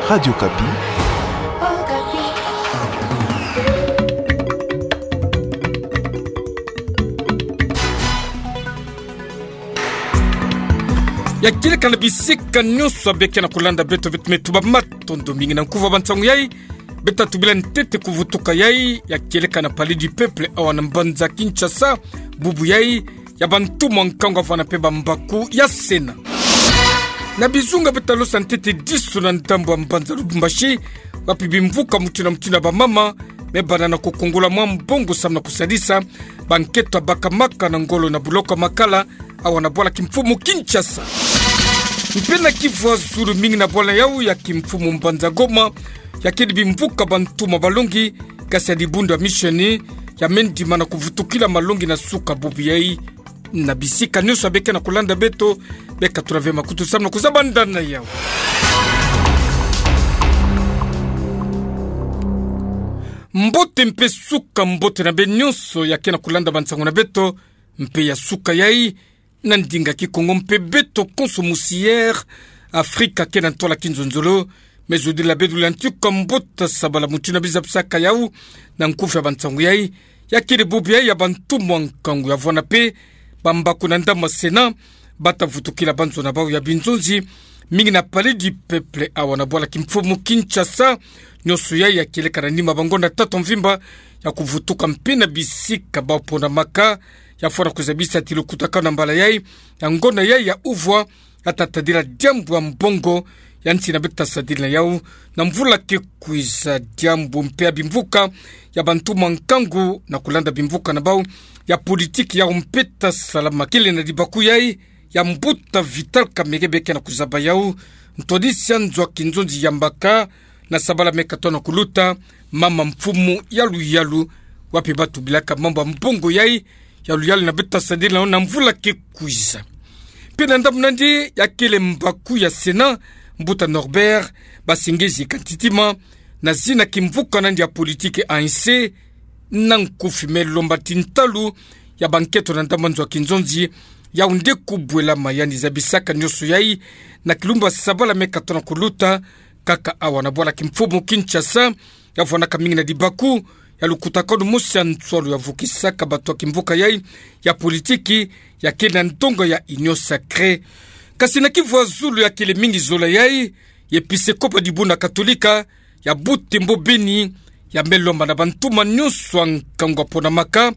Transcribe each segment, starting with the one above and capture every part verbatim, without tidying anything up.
Radio Okapi. Ya kieleka na bisika nyonso ya beke na kulanda beto, beto me tuba matondo mingi na nkufi ya bansangu yai. Beta tubila ntete kuvutuka yai, ya kieleka na Palais du Peuple awa na mbanza Kinshasa, bubu yai, ya bantumwa nkangu avwanda mpe bambaku ya Sénat. Na bizunga beta losa ntete diso na ndambu ya mbanza Lubumbashi, wapi bimvuka mutindu na mutindu ya bamama me bana na kukungola mwa mbongo samu na kusadisa bankento ya bakamaka na ngolo na buloko ya Makala, awa na bwala kimfumu Kinshasa. Mpe na Kivu ya zulu, mingi na bwala yau ya kimfumu mbanza Goma, ya kedi bimvuka bantumwa balongi, kasi ya dibundu ya misioni, ya me ndima na kuvutukila malongi na suka bubu yai. Na bisika nyonso ya beke na kulanda beto, beka tula ve makutu samu na kuzaba ndana yau. Mbote mpe suka mbote na beno nyonso ya ke na kulanda bansangu na beto, mpe ya suka yai, na ndinga Kikongo mpe beto konso musi Air Afrika ke na ntwala kinzonzolo, me zodila beto la ntuka mbote sabala mutindu na bizabisaka yau, na nkufi ya bansangu yai, ya kele bubu yai ya bantumwa nkangu ya vwanda mpe bambaku na ndambu ya Sénat, bata vutukila banzo na bau ya binzonzi, mingi na Palais du Peuple awa na bwala kimfumu Kinshasa, nyonso yai ya kieleka na nima bangonda tatu mvimba, ya kuvutuka mpe na bisika bau ponamaka, ya fwana kuzabisa ti lukutakanu na mbala yai, ya ngonda yai ya uvwa, ya ta tadila diambu ya mbongo, ya nsi na beto ta sadila yau, na mvula ke kwiza diambu mpe ya bimvuka, ya bantumwa nkangu, na kulanda bimvuka na bau, ya politiki yau mpe ta salama kele na dibaku yai, ya mbuta Vital Kamerhe beke na kuzaba yau, ntwadisi ya nzo ya kinzonzi ya mbaka, na sabala me katono kuluta, mama mfumu ya luyalu, wapi batubilaka mambu ya mbongo yai, ya luyalu na beto ta sadila na mvula ke kwiza. Mpe na ndambu nandi ya kele mbaku ya Sénat, mbuta Norbert Basengezi Kantitima, na zina kimvuka nandi ya politiki A N C, na nkufi me lomba ti ntalu ya bankento na ndambu ya nzo ya kinzonzi, yau nde kubwela ma yandi zabisaka nyonso yai, na kilumbu ya sabala me katono kuluta, kaka awa na bwala kimfumu Kinshasa, ya vwandaka mingi na dibaku, ya lukutakanu mosi ya nswalu ya vukisaka bato ya kimvuka yai, ya politiki, ya kele na ndonga ya Union Sacrée. Kasi na Kivu ya zulu ya kele mingi zola yai, ya episekopo ya dibundu ya Katolika, ya Butembo Beni, ya me lomba na bantumwa nyonso ya nkangu ya ponamaka,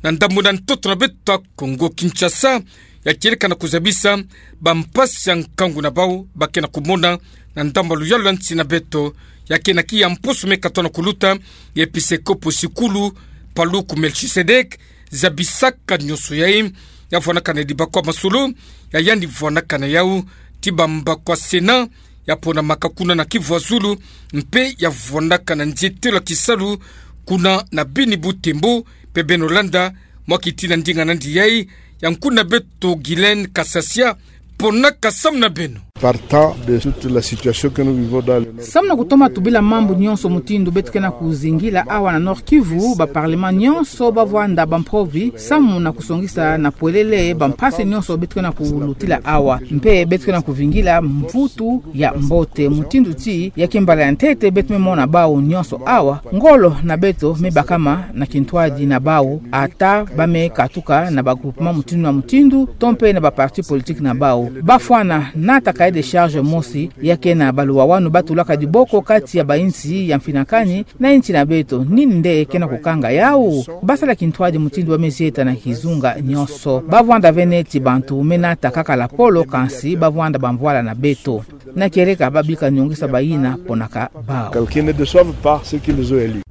na ndambu na ntoto na beto ya Kongo Kinshasa, ya kieleka na kuzabisa bampasi ya nkangu na bau ba ke na kumona, na ndambu ya luyalu ya nsi na beto, ya ke na kiya mposo me katono kuluta, ya episekopo sikulu, Paluku Melchisedek, zabisaka nyonso yai, ya vwandaka na dibaku ya masolo, ya yandi vwandaka na yau, ti bambaku ya Sénat, ya ponamaka kuna na Kivu ya zulu, mpe ya vwandaka na nzietelo ya kisalu, kuna na Beni Butembo, mpe beno landa, mwa kiti na ndinga nandi yai, ya nkuna beto Guylaine Kasasia, ponaka samu na beno. Partant de toute la situation que nous vivons dans le Nord. Samu na kutoma tubila mambu nyonso mutindu beto ke na kuzingila awa na Nord-Kivu, ba parlement nyonso ba vwanda bampovi, samu na kusongisa na pwelele bampasi nyonso beto ke na kulutila awa. Mpe beto ke na kuvingila mvutu ya mbote, mutindu ti ya kimbala ya ntete beto me mona bau nyonso awa. Ngolo na beto me bakama na kintwadi na bau, ata ba me katuka na ba groupement mutindu na mutindu, to mpe na ba parti politique na bau. Ba fwana nata cahier de charge mosi, ya ke na baluwawanu ba tulaka diboko kati ya bainsi ya mfinakani na insi na beto. Nini nde ke na kukanga yau? Ba sala kintwadi mutindu ba me zieta na kizunga nyonso. Ba vwanda ve neti bantu me nata kaka lapolo, kansi ba vwanda bamvwala na beto. Na kieleka ba bika nyongisa bayina ponaka bau. Calculer ne déçoivent pas ceux qui les ont élus.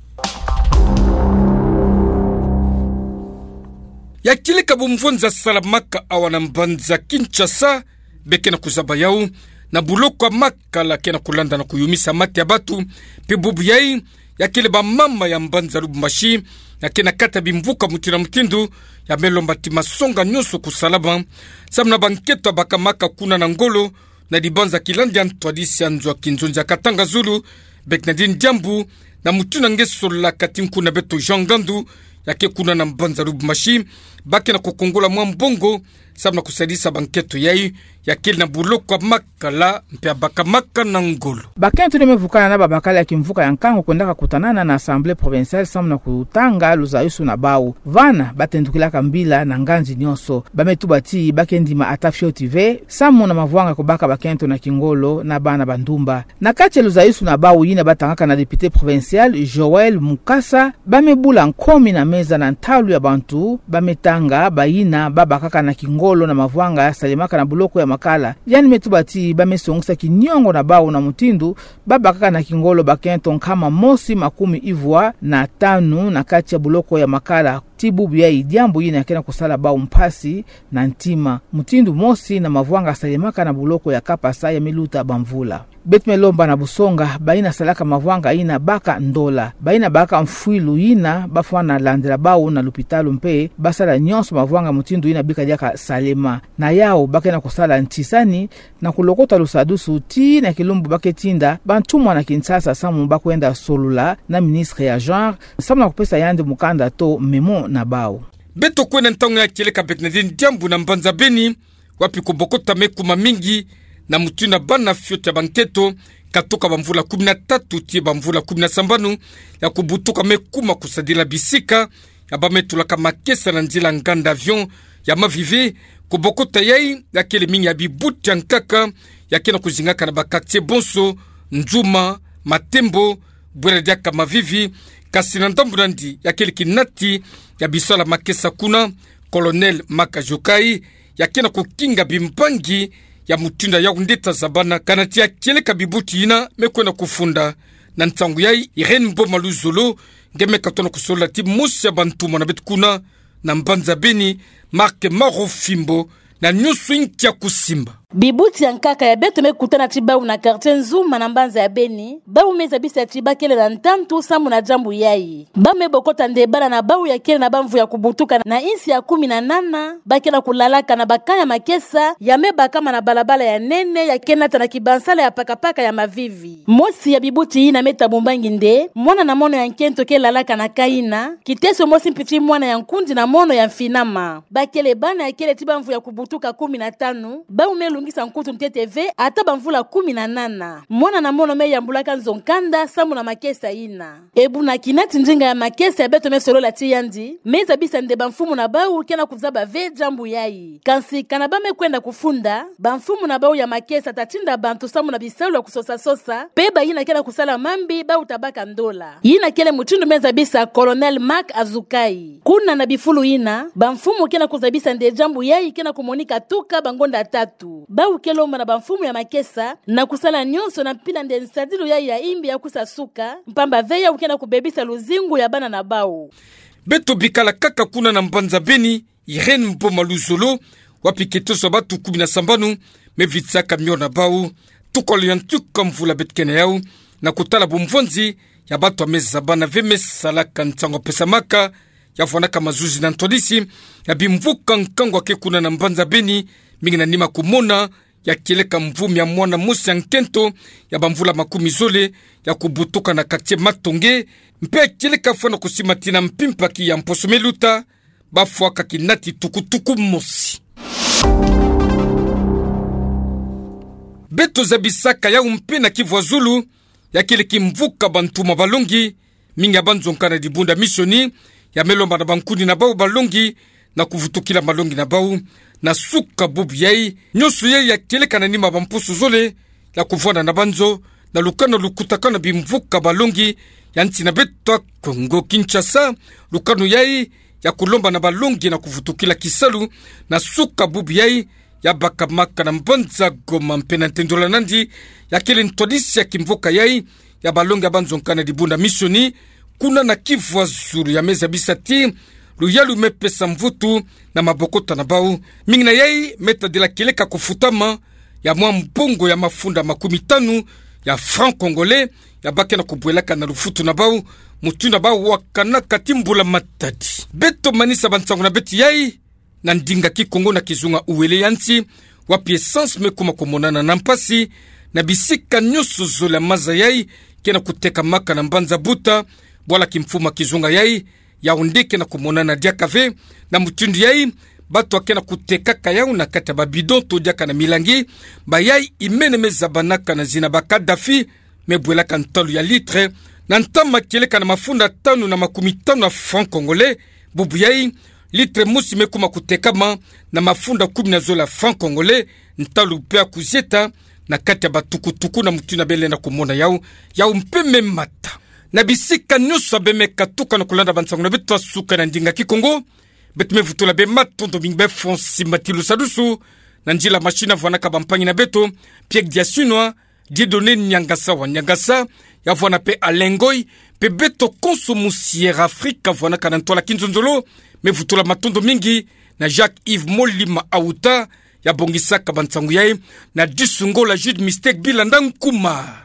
Ya kieleka bumvonza salamaka awa na mbanza Kinshasa, be ke na kuzaba yau, na buloko ya Makala ke na kulanda na kuyumisa mate ya batu, mpe bubu yai, ya kele bamama ya mbanza Lubumbashi, ya ke na kati ya bimvuka mutindu na mutindu, ya me lomba ti masonga nyonso kusalama, samu na bankento ya bakamaka kuna na ngolo, na dibanza kilandi ya ntwadisi ya nzo ya kinzonzi ya Katanga Zulu, be ke na dini diambu, na mutindu nge solaka ti nkuna beto Jean Ngandu, ya ke kuna na mbanza Lubumbashi, ba ke na kukungola mwa mbongo, samu na kusadisa bankento yai, ya kele na buloko ya makala, mpe ya bakamaka na ngolo. Bakento yina me vukana na babakala ya kimvuka ya nkangu kwendaka kutanana na Assemblée provinciale samu na kutanga luzayusu na bau. Vana, ba tendukilaka mbila na nganzi nyonso. Ba me tuba ti ba ke ndima ata fioti ve, samu na mavwanga kubaka bakento na kingolo na bana ba ndumba. Na kati ya luzayusu na bau yina ba tangaka na député provincial, Joël Mukasa, ba me bula nkomi na meza na ntalu ya bantu, ba me tanga bayina ba bakaka na kingolo na mavwanga salemaka na buloko ya makala. Yandi me tuba ti ba me songisa kiniongo na bau na mutindu ba bakaka na kingolo bakento nkama mosi makumi ivwa na tanu na kati ya buloko ya makala. Ti bubu yai diambu yina ke na kusala bau mpasi na ntima. Mutindu mosi na mavwanga salemaka na buloko ya Kapasa ya me luta bamvula. Beto me lomba na busonga bayina salaka mavwanga yina baka ndola. Bayina baka mfwilu yina ba fwana landila bau na lupitalu mpe ba sala nyonso mavwanga mutindu yina bika diaka salema. Na yau ba ke na kusala ntisani na kulokota lusadusu tii na kilumbu ba ke tinda bantumwa na Kinshasa samu ba kwenda solola na ministre ya genre, samu na kupesa yandi mukanda to memo na bau. Beto kwenda ntangu ya kieleka Bernardine Diambu na mbanza Beni, wapi kubokota me kuma mingi na mutindu na bana fioti ya bankento, katuka bamvula kumi na tatu tii bamvula kumi na sambanu, ya kubutuka me kuma kusadila bisika ya ba me tulaka makesa na nzila nganda avion ya Mavivi. Kubokota yai ya kele mingi ya bibuti ya nkaka ya ke na kuzingaka na ba quartier bonso, Nzuma, Matembo, bwela diaka Mavivi, kasi na ndambu nandi ya kele kinati ya bisalu ya makesa kuna, Colonel Marc Azukai, ya ke na kukinga bimbangi ya mutindu ya yau nde ta zabana, kana ti ya kieleka bibuti yina me kwenda kufunda. Na ntangu yai, Irène Mboma Luzolo, nge me katono kusolola ti mosi ya bantumwa na beto kuna na mbanza Beni, Marc Marofimbo, na nyonso inki ya kusimba. Bibuti ya nkaka ya beto me kutana ti bau na quartier Nzuma na mbanza ya Beni, bau me zabisa ti ba kele na ntantu samu na diambu yai. Bau me bokota nde bana na bau ya kele na bamvu ya kubutuka na insi ya kumi na nana, ba ke na kulalaka na ba camp ya makesa ya me bakama na balabala ya nene ya ke nata na kibansala ya pakapaka ya Mavivi. Mosi ya bibuti yina me tabumbangi nde mwana na mono ya nkento ke lalaka na camp yina, kiteso mosi mpi ti mwana ya nkundi na mono ya mfinama. Ba kele bana ya kele ti bamvu ya kubutuka kumi na tanu, bau me lungisa nkutu ntete ve ata bamvula kumi na nana. Mwana na mono me yambulaka nzo nkanda samu na makesa yina. Ebu na kinati ndinga ya makesa ya beto me solola ti yandi, me zabisa nde bamfumu na bau ke na kuzaba ve diambu yai. Kansi kana ba me kwenda kufunda, bamfumu na bau ya makesa ta tinda bantu samu na bisalu ya kusosa-sosa, mpe bayina ke na kusala mambi bau ta baka ndola. Yina kele mutindu me zabisa Colonel Marc Azukai. Kuna na bifulu yina, bamfumu ke na kuzabisa nde diambu yai ke na kumonika tuka bangonda tatu. Bau ke lomba na bamfumu ya makesa na kusala nyonso na mpila nde nsadilu yai ya imbi ya kwisa suka, mpamba ve yau ke na kubebisa luzingu ya bana na bau. Beto bikala kaka kuna na mbanza Beni, Irène Mboma Luzolo, wapi kiteso ya batu kumi na sambanu me vitisaka miona na bau. Tukolo ya ntuka mvula beto ke na yau, na kutala bumvwanzi ya batu ya me zabana ve me salaka nsangu pesamaka, ya vwanaka mazuzi na ntwadisi ya bimvuka nkangu ya ke kuna na mbanza Beni, mingi na nima kumona ya kieleka mvumi ya mwana mosi ya nkento ya bamvula makumi zole ya kubutuka na quartier Matonge, mpe ya kieleka fwana kusimatina mpi mpaki ya mposo me luta, ba fwaka kinati tukutuku mosi. Beto zabisaka yau mpe na Kivu ya Zulu, ya kele kimvuka bantumwa balongi, mingi ya banzonka na dibundu ya misioni, ya me lomba na bankundi na bau balongi, na kuvutukila malongi na bau. Na suka bubu yai, nyonso yai ya kieleka na nima bamposo zole, ya kuvwanda na banzo, na lukanu lukutakanu na bimvuka balongi ya nsi na beto ya Kongo Kinshasa, lukanu yai ya kulomba na balongi na kuvutukila kisalu, na suka bubu yai, ya bakamaka na mbanza Goma mpe na ntendola nandi, ya kele ntwadisi ya kimvuka yai, ya balongi ya banzonka na dibundu ya misioni, kuna na Kivu ya Zulu ya me zabisa ti, luyalu me pesa mvutu na mabokota na bau. Mingi na yai me tadila kieleka kufutama ya mwa mbongo ya mafunda makumi tanu ya francs congolais, ya ba ke na kubwelaka na lufutu na bau, mutindu ya bau wakanaka ti mbula matadi. Beto manisa bansangu na beto yai, na ndinga Kikongo na kizunga uwele ya nsi, wapi essence me kuma kumonana na mpasi, na bisika nyonso zole ya maza yai ke na kutekamaka na mbanza Buta, bwala kimfumu ya kizunga yai, Yau nde ke na kumonana diaka ve. Na mutindu yai, bato ake na kutekaka yau na kati ya ba bidon to diaka na milangi, bayai imene me zabanaka na zina ba Kadhafi, me bwelaka ntalu ya litre na ntama kieleka na mafunda tanu na makumi tanu ya francs congolais. Bubu yai, litre mosi me kuma kutekama na mafunda kumi na zole ya francs congolais, ntalu pe ya kuzieta na kati ya ba tukutuku. Na mutindu bele na kumona yau, yau mpe me mata. Na bisika nyonso abe me katuka na kulanda ba nsangu na beto ya suka na ndinga Kikongo, beto me vutula be matondo mingi be Francis Matilu Sadusu, na nzila machine avwanaka bampangi na beto, Pierre Diasunwa, Dieudonné Niangasa wa Niangasa, ya vwana pe Alain Ngoy, pe beto konso mu Sierra Africa avwanaka na ntwala kinzonzolo. Me vutula matondo mingi na Jacques Yves Molima Auta, ya bongisaka ba nsangu yai, na Disungola Jude Mistake Bilanda Nkuma.